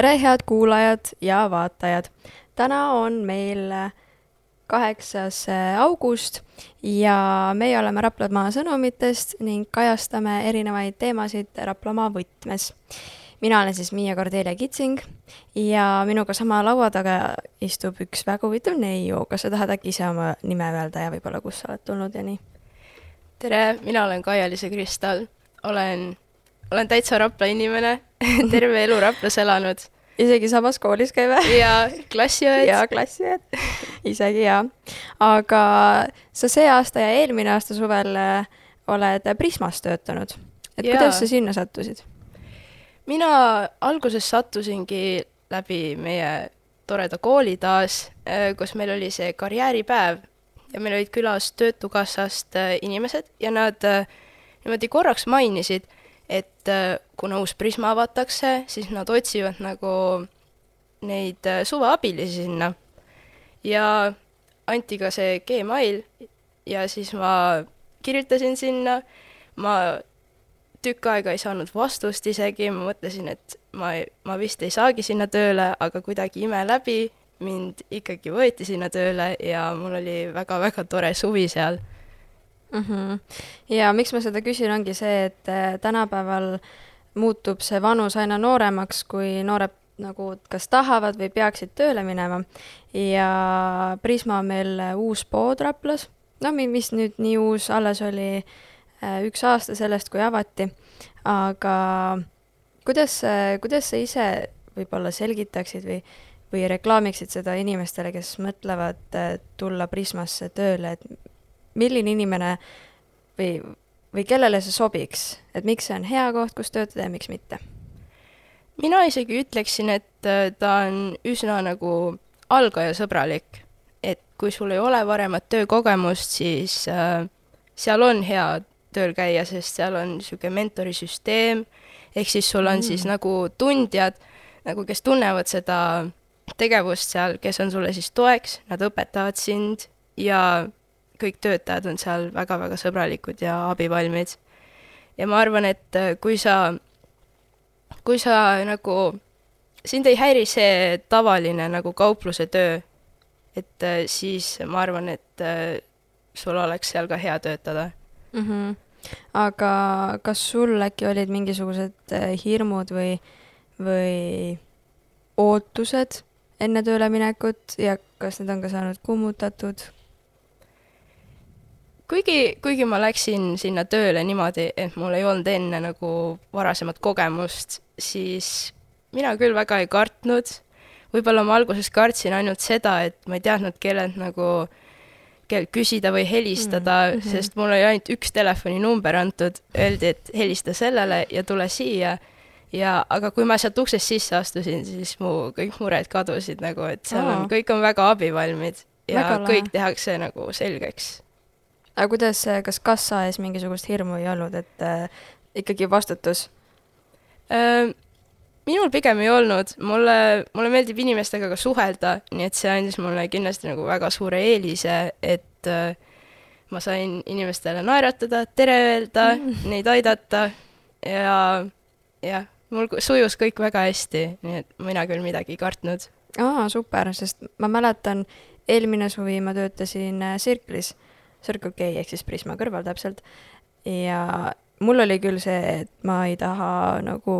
tere, head kuulajad ja vaatajad! Täna on meil 8. august ja meie oleme Raplamaa sõnumitest ning kajastame erinevaid teemasid Raplamaa võtmes. Mina olen siis Miia Kordelia Kitsing ja minuga sama laua taga istub üks väga huvitav neiu. Kas sa tahad äkki ise oma nime öelda ja võib-olla kus sa oled tulnud ja nii? Tere, mina olen Kaia-Liisa Kristal. Olen täitsa Rapla inimene, terve elu Raplas elanud. Isegi samas koolis käive? Ja klassiõed. Ja klassiõed, isegi jah. Aga sa see aasta ja eelmine aasta suvel oled Prismas töötanud. Kuidas sa sinna sattusid? Mina alguses sattusingi läbi meie toreda kooli taas, kus meil oli see karjääripäev ja meil olid külas Töötukassast inimesed ja nad niimoodi korraks mainisid, et kuna uus Prisma avatakse, siis nad otsivad nagu neid suveabilisi sinna. Ja anti ka see Gmail ja siis ma kirjutasin sinna. Ma tükk aega ei saanud vastust isegi, ma mõtlesin, et ma vist ei saagi sinna tööle, aga kuidagi ime läbi mind ikkagi võeti sinna tööle ja mul oli väga-väga tore suvi seal. Ja miks ma seda küsin, ongi see, et tänapäeval muutub see vanus aina nooremaks, kui noored nagu kas tahavad või peaksid tööle minema. Ja Prisma on meil uus pood Raplas. No mis nüüd nii uus, alles oli 1 aasta sellest, kui avati. Aga kuidas sa ise võib-olla selgitaksid või reklaamiksid seda inimestele, kes mõtlevad tulla Prismasse tööle, et milline inimene või kellele see sobiks? Et miks see on hea koht, kus töötada ja miks mitte? Mina isegi ütleksin, et ta on üsna nagu algaja sõbralik. Et kui sul ei ole varemat töökogemust, siis seal on hea tööl käia, sest seal on niisugune mentorisüsteem, ehk siis sul on siis nagu tundjad, nagu kes tunnevad seda tegevust seal, kes on sulle siis toeks, nad õpetavad sind ja kõik töötajad on seal väga-väga sõbralikud ja abivalmid. Ja ma arvan, et kui sa nagu, sind ei häiri see tavaline nagu kaupluse töö, et siis ma arvan, et sul oleks seal ka hea töötada. Aga kas sul äkki olid mingisugused hirmud või ootused enne tööle minekut ja kas need on ka saanud kummutatud? Kuigi ma läksin sinna tööle niimoodi, et mul ei olnud enne nagu varasemat kogemust, siis mina küll väga ei kartnud. Võib-olla ma alguses kartsin ainult seda, et ma ei teadnud, kellelt küsida või helistada, sest mul oli ainult 1 telefoninumber antud, öeldi, et helista sellele ja tule siia. Aga kui ma sealt uksest sisse astusin, siis kõik mured kadusid, nagu, et seal kõik on väga abivalmid ja kõik tehakse nagu selgeks. Aga kas kassa ees mingisugust hirmu ei olnud, et ikkagi vastutus? Minul pigem ei olnud. Mulle meeldib inimestega ka suhelda, nii et see andis mulle kindlasti nagu väga suure eelise, et ma sain inimestele naeratada, tere öelda, neid aidata ja mul sujus kõik väga hästi, nii et mina küll midagi ei kartnud. Super, sest ma mäletan, eelmine suvi ma töötasin Circle'is, Circle K ehk siis Prisma kõrval täpselt. Ja mul oli küll see, et ma ei taha nagu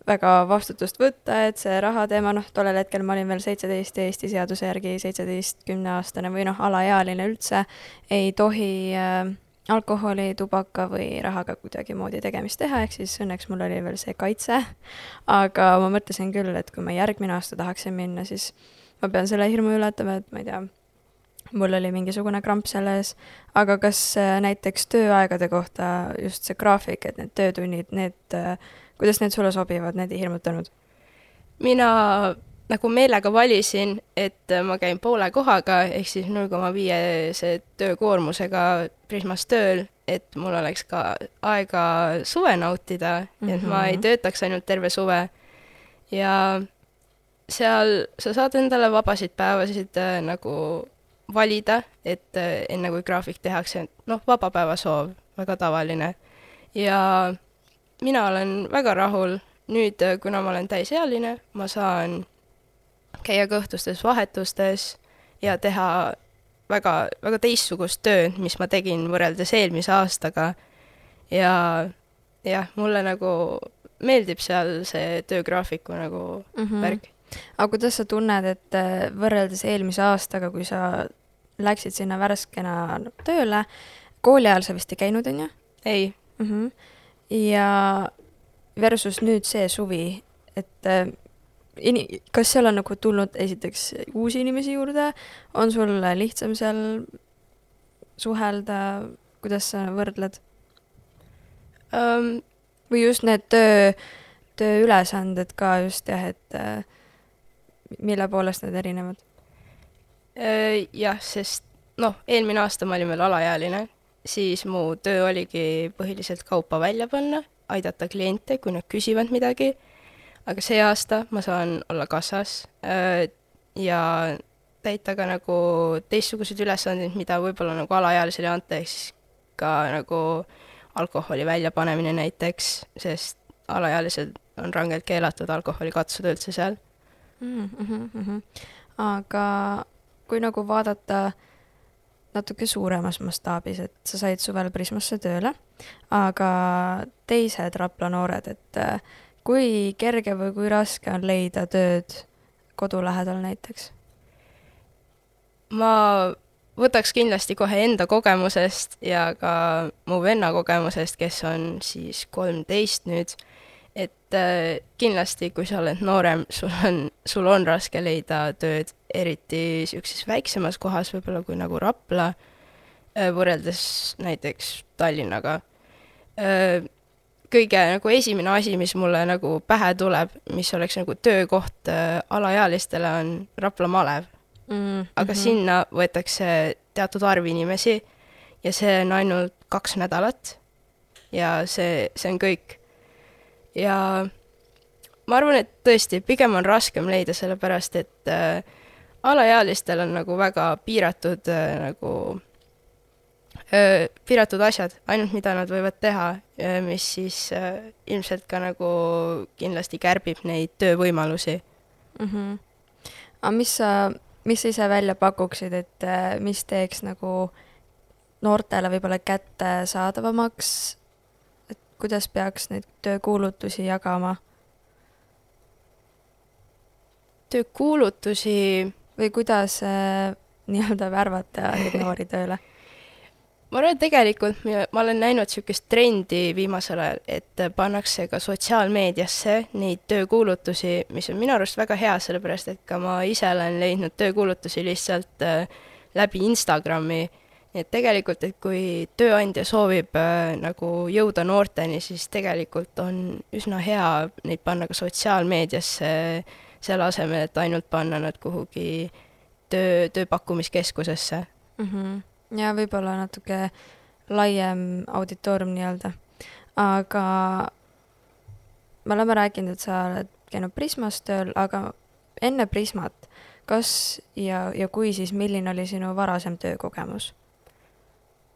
väga vastutust võtta, et see raha teema, tollel hetkel ma olin veel 17 Eesti seaduse järgi 17-10-aastane või alaealine üldse, ei tohi alkoholi, tubaka või rahaga kuidagi moodi tegemist teha, ehk siis õnneks mul oli veel see kaitse. Aga ma mõtlesin küll, et kui ma järgmine aasta tahaksin minna, siis ma pean selle hirmu ületama, et ma ei tea, mul oli mingisugune kramp selles, aga kas näiteks tööaegade kohta just see graafik, et need töötunnid, kuidas need sulle sobivad, need ei hirmutanud? Mina nagu meelega valisin, et ma käin poole kohaga, ehk siis 0,5 töökoormusega Prismas tööl, et mul oleks ka aega suve nautida, et ma ei töötaks ainult terve suve. Ja seal sa saad endale vabasid päevasid nagu valida, et enne kui graafik tehakse, vabapäeva soov, väga tavaline. Ja mina olen väga rahul, nüüd, kuna ma olen täisealine, ma saan käia ka õhtustes vahetustes ja teha väga, väga teistsugust tööd, mis ma tegin võrreldes eelmise aastaga. Ja jah, mulle nagu meeldib seal see töögraafiku nagu värk. Aga kuidas sa tunned, et võrreldes eelmise aastaga, kui sa läksid sinna värskena tööle, kooli ajal sa vist ei käinud, on ju? Ei. Ja versus nüüd see suvi, et kas seal on nagu tulnud esiteks uusi inimesi juurde, on sul lihtsam seal suhelda, kuidas sa võrdled? Või just need tööülesanded ka just jah, et mille poolest need erinevad? Jah, sest eelmine aasta ma olin veel alaealine, siis mu töö oligi põhiliselt kaupa välja panna, aidata kliente, kui nad küsivad midagi, aga see aasta ma saan olla kassas ja täita ka nagu teistsuguseid ülesandeid, mida võib-olla nagu alaealisele ei anta, ehk siis ka nagu alkoholi väljapanemine näiteks, sest alaealised on rangelt keelatud alkoholi katsuda üldse seal. Aga kui nagu vaadata natuke suuremas mastaabis, et sa said suvel Prismasse tööle, aga teised Rapla noored, et kui kerge või kui raske on leida tööd kodu lähedal näiteks? Ma võtaks kindlasti kohe enda kogemusest ja ka mu venna kogemusest, kes on siis 13 nüüd, et kindlasti, kui sa oled noorem, sul on raske leida tööd, eriti niisuguses väiksemas kohas, võib-olla kui nagu Rapla, võrreldes näiteks Tallinnaga. Kõige nagu esimene asi, mis mulle nagu pähe tuleb, mis oleks nagu töökoht alaealistele, on Rapla malev. Aga sinna võetakse teatud arv inimesi ja see on ainult 2 nädalat ja see on kõik. Ja ma arvan, et tõesti, pigem on raskem leida, sellepärast et alaealistel on nagu väga piiratud piiratud asjad, ainult mida nad võivad teha, mis siis ilmselt ka nagu kindlasti kärbib neid töövõimalusi. Aga mis sa ise välja pakuksid, et mis teeks nagu noortele võib-olla kättesaadavamaks, et kuidas peaks neid töökuulutusi jagama? Töökuulutusi või kuidas nii-öelda värvata neid noori tööle? Ma arvan, et tegelikult ma olen näinud niisugust trendi viimasel ajal, et pannakse ka sotsiaalmeediasse neid töökuulutusi, mis on minu arust väga hea, sellepärast et ka ma ise olen leidnud töökuulutusi lihtsalt läbi Instagrami. Et tegelikult, et kui tööandja soovib nagu jõuda noorteni, siis tegelikult on üsna hea neid panna ka sotsiaalmeediasse selle asemel, et ainult panna nad kuhugi tööpakkumiskeskusesse. Ja võib-olla natuke laiem auditoorium nii-öelda. Aga me oleme rääkinud, et sa oled käinud Prismas tööl, aga enne Prismat, kas ja kui siis, milline oli sinu varasem töökogemus?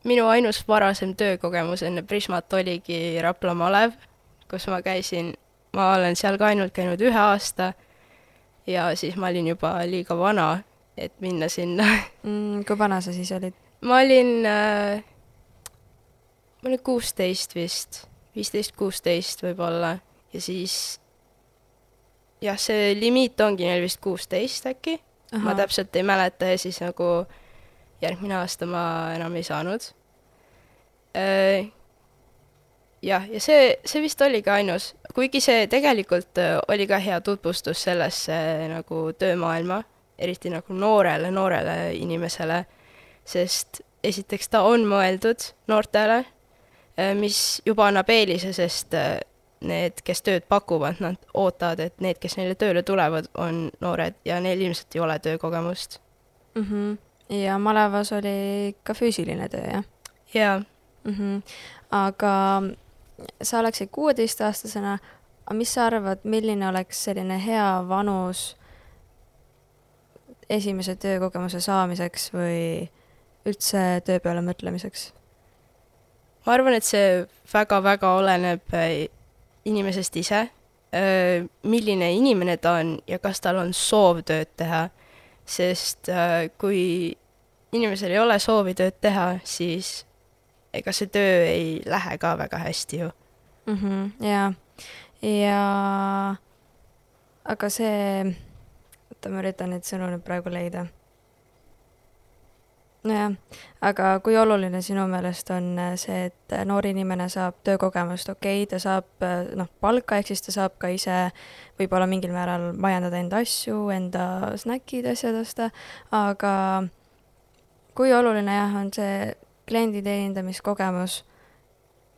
Minu ainus varasem töökogemus enne Prismat oligi Rapla malev, kus ma käisin. Ma olen seal ka ainult käinud 1 aasta ja siis ma olin juba liiga vana, et minna sinna. Kui vana sa siis olid? Ma olin 16 vist, 15-16 võib-olla ja siis jah, see limiit ongi neil vist 16 äkki. Ma täpselt ei mäleta ja siis nagu järgmine aasta ma enam ei saanud. Ja see vist oli ka ainus, kuigi see tegelikult oli ka hea tutvustus sellesse nagu töömaailma, eriti nagu noorele inimesele, sest esiteks ta on mõeldud noortele, mis juba annab eelise, sest need, kes tööd pakuvad, nad ootavad, et need, kes neile tööle tulevad, on noored ja neil ilmselt ei ole töökogemust. Ja malevas oli ka füüsiline töö, jah? Jaa. Aga sa oleksid 16-aastasena, aga mis sa arvad, milline oleks selline hea vanus esimese töökogemuse saamiseks või üldse töö peale mõtlemiseks? Ma arvan, et see väga-väga oleneb inimesest ise, milline inimene ta on ja kas tal on soov tööd teha, sest kui inimesel ei ole soovi tööd teha, siis ega see töö ei lähe ka väga hästi ju. Jaa, ja aga see, oota, ma üritan neid sõnu nüüd praegu leida. Nojah, aga kui oluline sinu meelest on see, et noor inimene saab töökogemust, okei, ta saab palka, ehk siis ta saab ka ise võib-olla mingil määral majandada enda asju, enda snäkid, asjad osta, aga kui oluline jah, on see kliendi teenindamiskogemus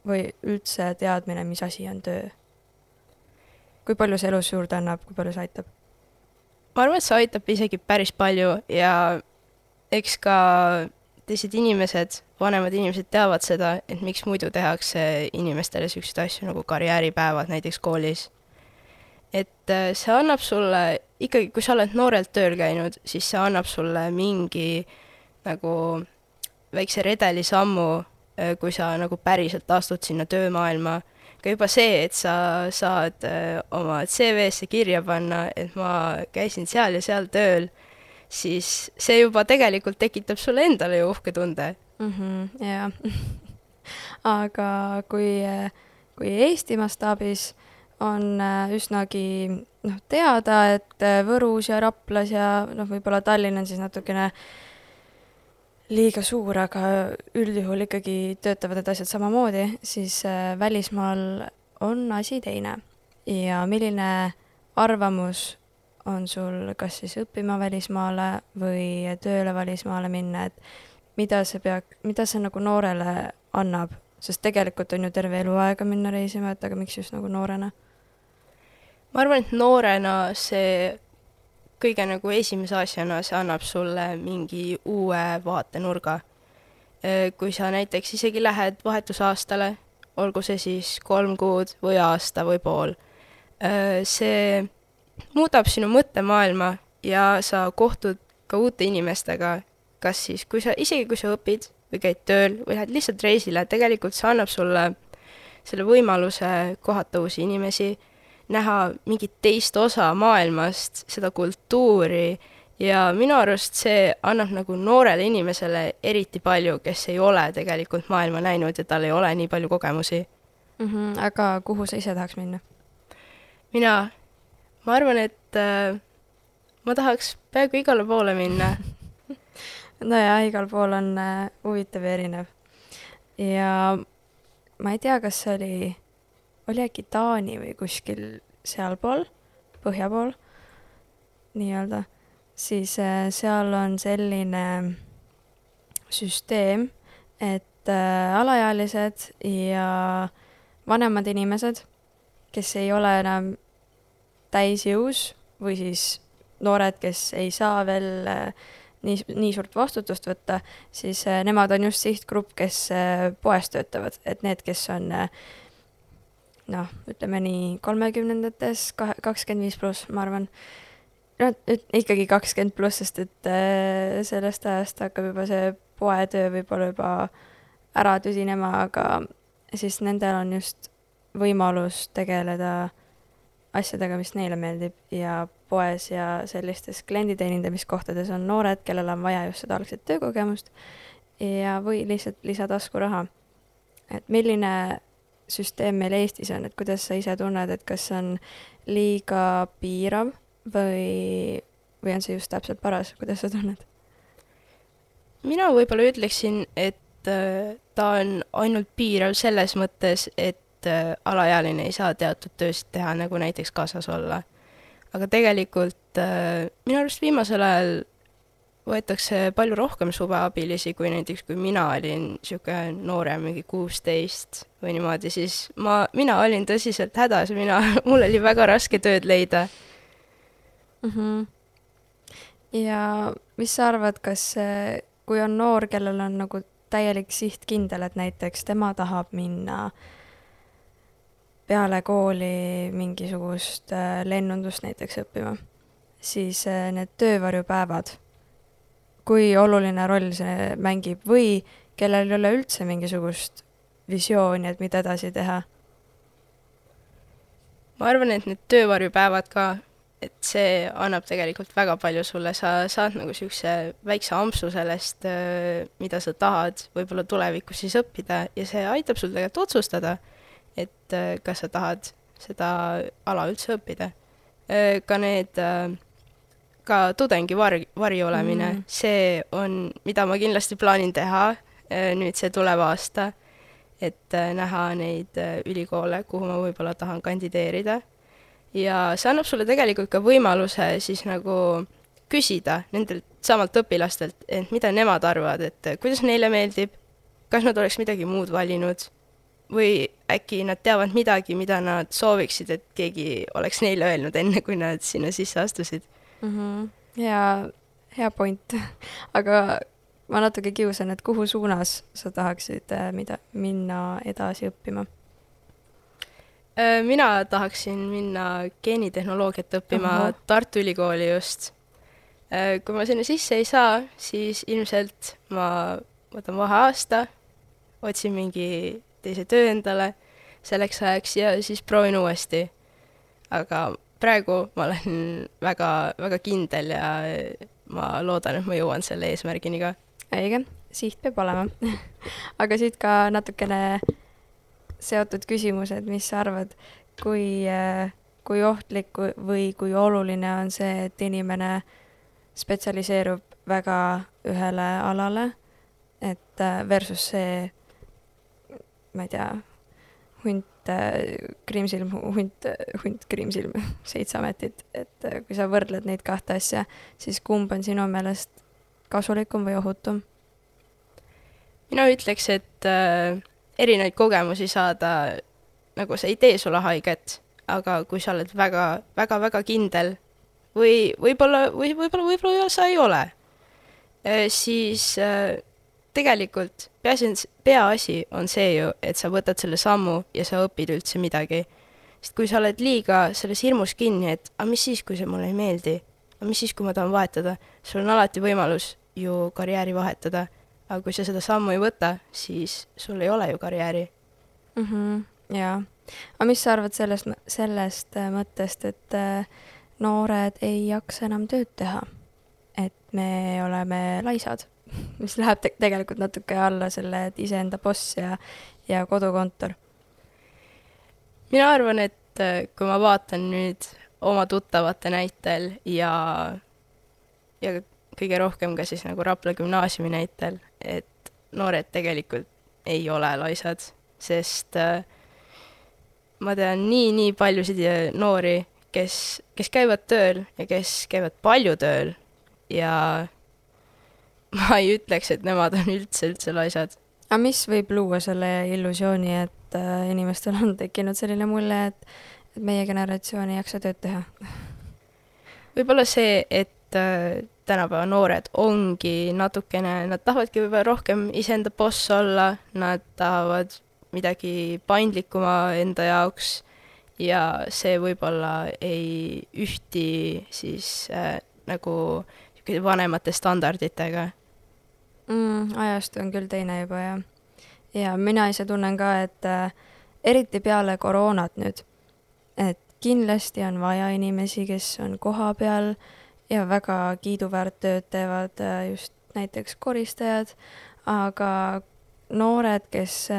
või üldse teadmine, mis asi on töö? Kui palju see elus juurde annab, kui palju see aitab? Ma arvan, et see aitab isegi päris palju ja eks ka teised inimesed, vanemad inimesed teavad seda, et miks muidu tehakse inimestele selliseid asju nagu karjääripäevad näiteks koolis. Et see annab sulle, ikkagi kui sa oled noorelt tööl käinud, siis see annab sulle mingi nagu väikse redeli sammu, kui sa nagu päriselt astud sinna töömaailma. Ka juba see, et sa saad oma CV-sse kirja panna, et ma käisin seal ja seal tööl, siis see juba tegelikult tekitab sulle endale ju uhke tunde. Jaa. Aga kui Eesti mastaabis on üsnagi teada, et Võrus ja Raplas ja võib-olla Tallinn on siis natukene liiga suur, aga üldjuhul ikkagi töötavad need asjad samamoodi, siis välismaal on asi teine. Ja milline arvamus on sul kas siis õppima välismaale või tööle välismaale minna, et mida see nagu noorele annab? Sest tegelikult on ju terve eluaega minna reisima, et aga miks just nagu noorena? Ma arvan, et noorena see kõige nagu esimese asjana see annab sulle mingi uue vaatenurga. Kui sa näiteks isegi lähed vahetusaastale, olgu see siis 3 kuud või aasta või pool, see muudab sinu mõttemaailma ja sa kohtud ka uute inimestega, kas siis, isegi kui sa õpid või käid tööl või lähed lihtsalt reisile, tegelikult see annab sulle selle võimaluse kohata uusi inimesi, näha mingit teist osa maailmast, seda kultuuri ja minu arust see annab nagu noorele inimesele eriti palju, kes ei ole tegelikult maailma näinud ja tal ei ole nii palju kogemusi. Aga kuhu sa ise tahaks minna? Ma arvan, et ma tahaks peaaegu igale poole minna. Nojah, igal pool on huvitav ja erinev. Ja ma ei tea, kas see oli äkki Taani või kuskil sealpool, põhja pool, nii-öelda, siis seal on selline süsteem, et alaealised ja vanemad inimesed, kes ei ole enam täisjõus või siis noored, kes ei saa veel nii suurt vastutust võtta, siis nemad on just sihtgrupp, kes poes töötavad, et need, kes on ütleme nii 30-ndates, 25+, ma arvan. Ikkagi 20+, sest et sellest ajast hakkab juba see poetöö võib-olla juba ära tüsinema, aga siis nendel on just võimalus tegeleda asjadega, mis neile meeldib ja poes ja sellistes klienditeenindamiskohtades on noored, kellel on vaja just seda algset töökogemust ja või lihtsalt lisataskuraha. Et milline süsteem meil Eestis on, et kuidas sa ise tunned, et kas on liiga piirav või on see just täpselt paras, kuidas sa tunned? Mina võib-olla ütleksin, et ta on ainult piirav selles mõttes, et alaealine ei saa teatud töösid teha, nagu näiteks kaasas olla. Aga tegelikult minu arust viimasel ajal võetakse palju rohkem suveabilisi, kui näiteks kui mina olin siuke noorem, mingi 16 või niimoodi, siis mina olin tõsiselt hädas, mul oli väga raske tööd leida. Ja mis sa arvad, kas kui on noor, kellel on nagu täielik siht kindel, et näiteks tema tahab minna peale kooli mingisugust lennundust näiteks õppima, siis need töövarjupäevad, kui oluline roll see mängib või kellel ei ole üldse mingisugust visiooni, et mida edasi teha? ma arvan, et need töövarjupäevad ka, et see annab tegelikult väga palju sulle, sa saad nagu niisuguse väikse ampsu sellest, mida sa tahad võib-olla tulevikus siis õppida ja see aitab sul tegelikult otsustada, et kas sa tahad seda ala üldse õppida. Ka need, ka tudengi vari olemine, see on, mida ma kindlasti plaanin teha nüüd see tulev aasta, et näha neid ülikoole, kuhu ma võib-olla tahan kandideerida. Ja see annab sulle tegelikult ka võimaluse siis nagu küsida nendelt samalt õpilastelt, et mida nemad arvavad, et kuidas neile meeldib, kas nad oleks midagi muud valinud või äkki nad teavad midagi, mida nad sooviksid, et keegi oleks neile öelnud enne, kui nad sinna sisse astusid. Hea point. Aga ma natuke kiusan, et kuhu suunas sa tahaksid minna edasi õppima? Mina tahaksin minna geenitehnoloogiat õppima Tartu Ülikooli just. Kui ma sinna sisse ei saa, siis ilmselt ma võtan vaheaasta, otsin mingi teise töö endale selleks ajaks ja siis proovin uuesti. Aga praegu ma olen väga, väga kindel ja ma loodan, et ma jõuan selle eesmärgini ka. Õige, siht peab olema. Aga siit ka natukene seotud küsimused, mis sa arvad, kui ohtlik või kui oluline on see, et inimene spetsialiseerub väga ühele alale, et versus see, ma ei tea, hunt Kriimsilm, 7 ametit, et kui sa võrdled neid kahte asja, siis kumb on sinu meelest kasulikum või ohutum? Mina ütleks, et erinevaid kogemusi saada, nagu see ei tee sulle haiget, aga kui sa oled väga kindel või võib-olla sa ei ole, siis tegelikult peaasi on see ju, et sa võtad selle sammu ja sa õpid üldse midagi. Sest kui sa oled liiga selles hirmus kinni, et mis siis, kui see mulle ei meeldi, mis siis, kui ma tahan vahetada, sul on alati võimalus ju karjääri vahetada. Aga kui sa seda sammu ei võta, siis sul ei ole ju karjääri. Jaa. Aga mis sa arvad sellest mõttest, et noored ei jaksa enam tööd teha? Et me oleme laisad, mis läheb tegelikult natuke alla selle, et iseenda boss ja kodukontor. Mina arvan, et kui ma vaatan nüüd oma tuttavate näitel ja kõige rohkem ka siis nagu Rapla gümnaasiumi näitel, et noored tegelikult ei ole laisad, sest ma tean nii paljusid noori, kes käivad tööl ja kes käivad palju tööl ja ma ei ütleks, et nemad on üldse laisad. Aga mis võib luua selle illusiooni, et inimestel on tekkinud selline mulje, et meie generatsioon ei jaksa tööd teha? Võib-olla see, et tänapäeva noored ongi natukene, nad tahavadki võib-olla rohkem iseenda boss olla, nad tahavad midagi paindlikuma enda jaoks ja see võib-olla ei ühti siis nagu vanemate standarditega. Ajastu on küll teine juba ja mina ise tunnen ka, et eriti peale koroonat nüüd, et kindlasti on vaja inimesi, kes on koha peal ja väga kiiduväärt tööd teevad just näiteks koristajad, aga noored, kes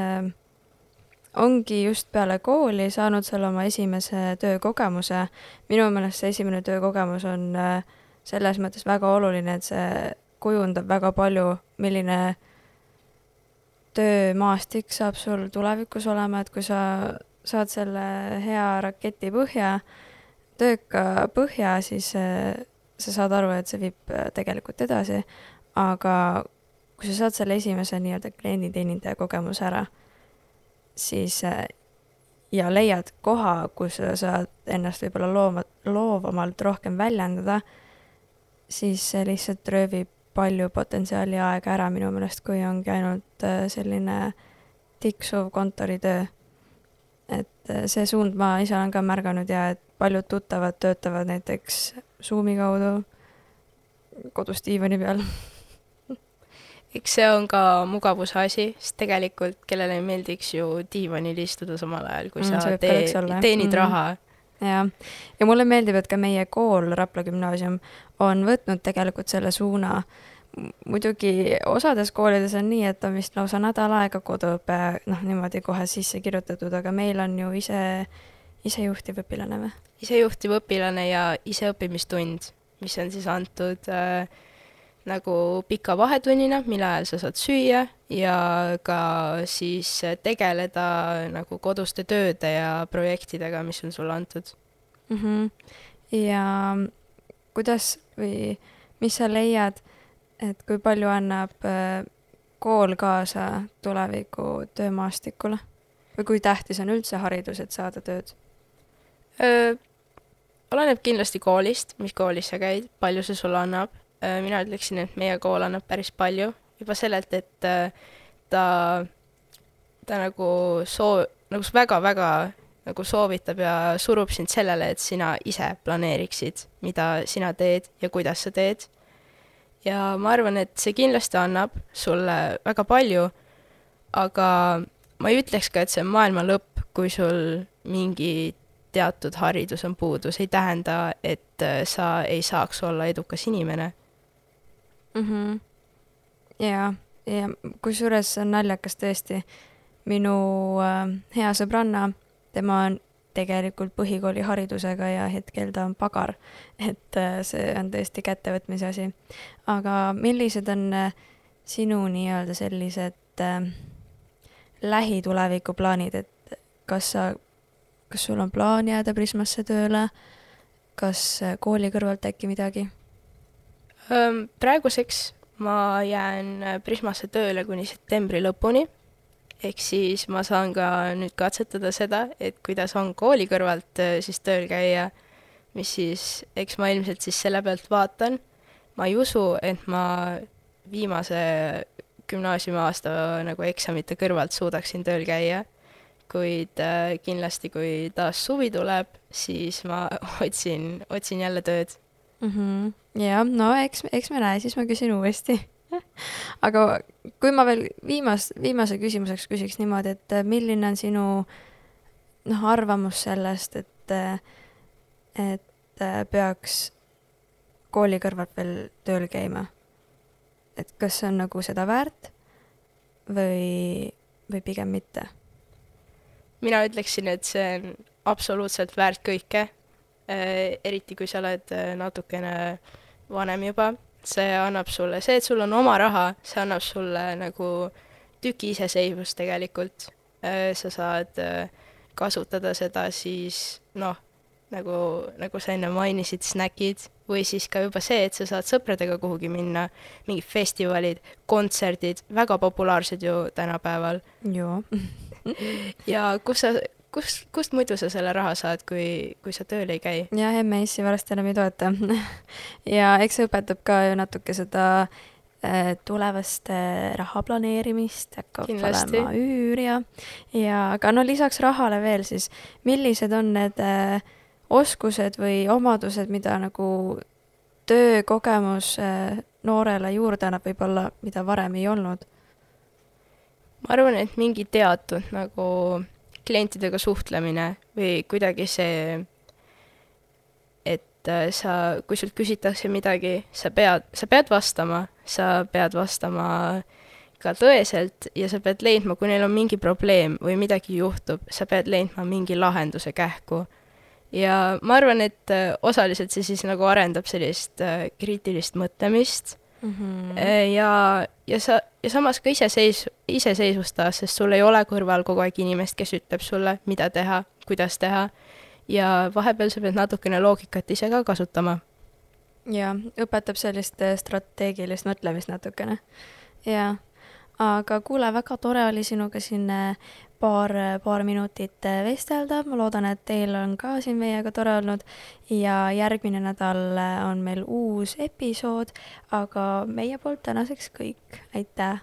ongi just peale kooli saanud seal oma esimese töökogemuse, minu meelest see esimene töökogemus on selles mõttes väga oluline, et see kujundab väga palju, milline töömaastik saab sul tulevikus olema, et kui sa saad selle hea raketi tööka põhja, siis sa saad aru, et see viib tegelikult edasi, aga kui sa saad selle esimese nii-öelda klienditeenindaja kogemuse ära, siis ja leiad koha, kus sa saad ennast võib-olla loovamalt rohkem väljendada, siis see lihtsalt röövib palju potentsiaali aega ära minu meelest, kui ongi ainult selline tiksuv kontoritöö. Et see suund ma ise olen ka märganud ja et paljud tuttavad töötavad näiteks Zoomi kaudu kodus diivani peal. Eks see on ka mugavuse asi, sest tegelikult kellele ei meeldiks ju diivanil istuda samal ajal, kui sa teenid raha. ja mulle meeldib, et ka meie kool, Rapla gümnaasium, on võtnud tegelikult selle suuna. Muidugi osades koolides on nii, et on vist lausa nädal aega koduõpe, niimoodi kohe sisse kirjutatud, aga meil on ju isejuhtiv õpilane või? Isejuhtiv õpilane ja iseõppimistund, mis on siis antud nagu pika vahetunnina, mille ajal sa saad süüa ja ka siis tegeleda nagu koduste tööde ja projektidega, mis on sulle antud. Ja kuidas või mis sa leiad, et kui palju annab kool kaasa tuleviku töömaastikule? Või kui tähtis on üldse haridus, et saada tööd? Oleneb kindlasti koolist, mis koolis sa käid, palju see sulle annab. Mina ütleksin, et meie kool annab päris palju. Juba sellelt, et ta nagu väga-väga nagu soovitab ja surub sind sellele, et sina ise planeeriksid, mida sina teed ja kuidas sa teed. Ja ma arvan, et see kindlasti annab sulle väga palju, aga ma ei ütleks ka, et see on maailma lõpp, kui sul mingi teatud haridus on puudus. Ei tähenda, et sa ei saaks olla edukas inimene. Ja kusjuures on naljakas tõesti. Minu hea sõbranna, tema on tegelikult põhikooli haridusega ja hetkel ta on pagar, et see on tõesti kättevõtmise asi. Aga millised on sinu nii-öelda sellised lähituleviku plaanid, et kas sul on plaan jääda Prismasse tööle, kas kooli kõrvalt äkki midagi? Praeguseks ma jään Prismasse tööle kuni septembri lõpuni. Ehk siis ma saan ka nüüd katsetada seda, et kuidas on kooli kõrvalt siis tööl käia, mis siis, eks ma ilmselt siis selle pealt vaatan. Ma ei usu, et ma viimase gümnaasiumi aasta nagu eksamite kõrvalt suudaksin tööl käia, kuid kindlasti, kui taas suvi tuleb, siis ma otsin jälle tööd. Ja, no eks me näe, siis ma küsin uuesti. Aga kui ma veel viimase küsimuseks küsiks niimoodi, et milline on sinu arvamus sellest, et peaks kooli kõrvalt veel tööl käima? Et kas see on nagu seda väärt või pigem mitte? Mina ütleksin, et see on absoluutselt väärt kõike, eriti kui sa oled natukene vanem juba. See annab sulle, see, et sul on oma raha, see annab sulle nagu tüki iseseisvust tegelikult. Sa saad kasutada seda siis, nagu sa enne mainisid, snäkid, või siis ka juba see, et sa saad sõpradega kuhugi minna, mingid festivalid, kontserdid, väga populaarsed ju tänapäeval. Joo. Ja kust muidu sa selle raha saad, kui sa tööl ei käi? Ja MES-i varsti enam ei toeta. Ja eks see õpetab ka ju natuke seda tulevast raha planeerimist, hakkab olema üür ja aga lisaks rahale veel siis, millised on need oskused või omadused, mida nagu töökogemus noorele juurde annab võib-olla, mida varem ei olnud? Ma arvan, et mingi teatud nagu klientidega suhtlemine või kuidagi see, et kui sult küsitakse midagi, sa pead vastama ka tõeselt ja sa pead leidma, kui neil on mingi probleem või midagi juhtub, sa pead leidma mingi lahenduse kähku. Ja ma arvan, et osaliselt see siis nagu arendab sellist kriitilist mõtlemist ja samas ka iseseisvustada, sest sul ei ole kõrval kogu aeg inimest, kes ütleb sulle, mida teha, kuidas teha ja vahepeal sa pead natukene loogikat ise ka kasutama. Ja õpetab sellist strateegilist mõtlemist natukene. Ja, aga kuule, väga tore oli sinuga siin paar minutit vestelda. Ma loodan, et teil on ka siin meiega tore olnud ja järgmine nädal on meil uus episood, aga meie poolt tänaseks kõik. Aitäh!